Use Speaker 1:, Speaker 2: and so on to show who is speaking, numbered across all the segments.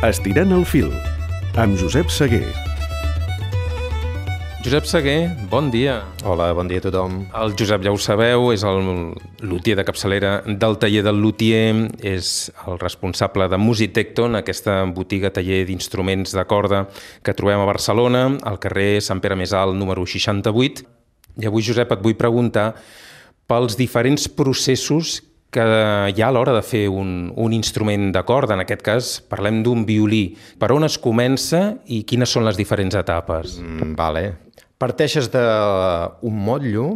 Speaker 1: Estirant el fil, amb Josep Seguer.
Speaker 2: Josep Seguer, bon dia.
Speaker 3: Hola, bon dia a tothom.
Speaker 2: El Josep, ja ho sabeu, és el lutier de capçalera del taller del lutier, és el responsable de Musitecton, aquesta botiga taller d'instruments de corda que trobem a Barcelona, al carrer Sant Pere Més Alt, número 68. I avui, Josep, et vull preguntar pels diferents processos que hi ha a l'hora de fer un instrument de corda. En aquest cas, parlem d'un violí. Per on es comença i quines són les diferents etapes?
Speaker 3: Vale. Parteixes d'un motllo.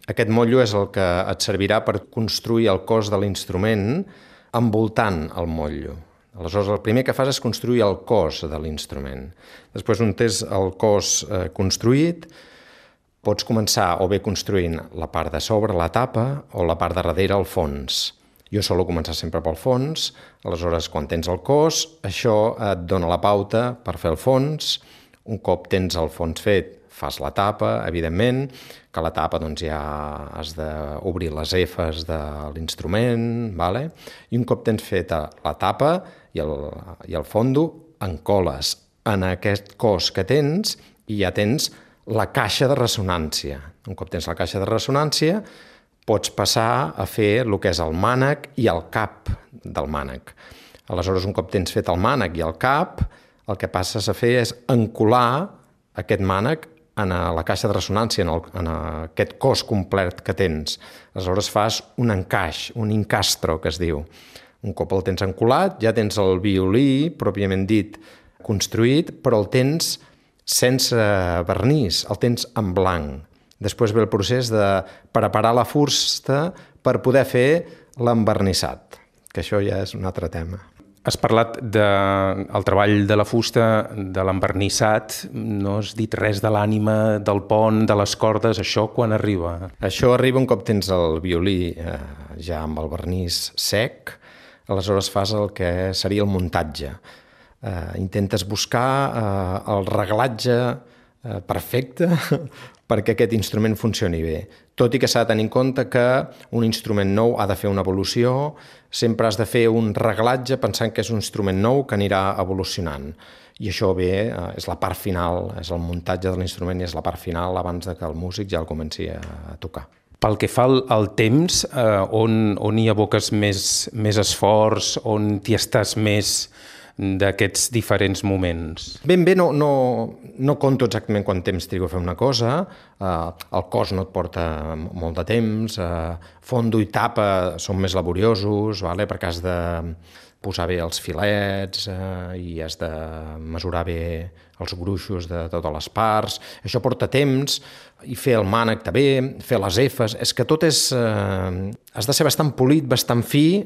Speaker 3: Aquest motllo és el que et servirà per construir el cos de l'instrument envoltant el motllo. Aleshores, el primer que fas és construir el cos de l'instrument. Després, on tens el cos construït, pots començar o bé construint la part de sobre, la tapa, o la part de darrere, el fons. Jo solo començar sempre pel fons, aleshores quan tens el cos, això et dona la pauta per fer el fons. Un cop tens el fons fet, fas la tapa, evidentment, que la tapa doncs, ja has d'obrir les efes de l'instrument, vale? I un cop tens feta la tapa i el fondo, encoles en aquest cos que tens i ja tens la caixa de ressonància. Un cop tens la caixa de ressonància, pots passar a fer el que és el mànec i el cap del mànec. Aleshores, un cop tens fet el mànec i el cap, el que passes a fer és encolar aquest mànec en la caixa de ressonància, en aquest cos complet que tens. Aleshores fas un encaix, un incastro, que es diu. Un cop el tens encolat, ja tens el violí, pròpiament dit, construït, però el tens sense vernís, el tens en blanc. Després ve el procés de preparar la fusta per poder fer l'envernissat, que això ja és un altre tema.
Speaker 2: Has parlat del treball de la fusta, de l'envernissat, no has dit res de l'ànima, del pont, de les cordes, això quan arriba?
Speaker 3: Això arriba un cop tens el violí ja amb el vernís sec, aleshores fas el que seria el muntatge. Intentes buscar el reglatge perfecte perquè aquest instrument funcioni bé. Tot i que s'ha de tenir en compte que un instrument nou ha de fer una evolució, sempre has de fer un reglatge pensant que és un instrument nou que anirà evolucionant. I això bé, és la part final, és el muntatge de l'instrument i és la part final abans que el músic ja el comenci a tocar.
Speaker 2: Pel que fa al temps, on hi aboques més esforç, on t'hi estàs més d'aquests diferents moments?
Speaker 3: Ben bé, no conto exactament quant temps trigo a fer una cosa, el cos no et porta molt de temps, fondo i tapa són més laboriosos, perquè has de posar bé els filets i has de mesurar bé els gruixos de totes les parts. Això porta temps, i fer el mànec també, fer les efes, és que tot és... has de ser bastant polit, bastant fi,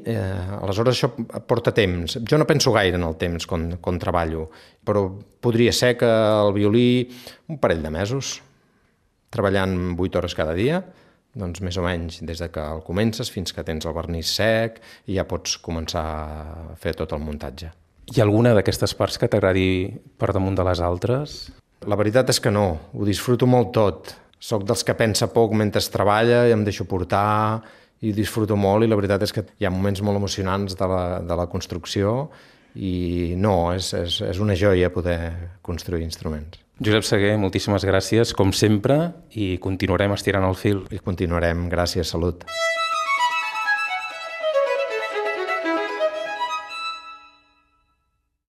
Speaker 3: aleshores això porta temps. Jo no penso gaire en el temps quan treballo, però podria ser que el violí un parell de mesos, treballant 8 hores cada dia, doncs més o menys des que el comences fins que tens el vernís sec i ja pots començar a fer tot el muntatge.
Speaker 2: Hi ha alguna d'aquestes parts que t'agradi per damunt de les altres?
Speaker 3: La veritat és que no, ho disfruto molt tot. Soc dels que pensa poc mentre treballa i em deixo portar i disfruto molt, i la veritat és que hi ha moments molt emocionants de la construcció i no, és una joia poder construir instruments.
Speaker 2: Josep Seguer, moltíssimes gràcies, com sempre, i continuarem estirant el fil.
Speaker 3: I continuarem, gràcies, salut.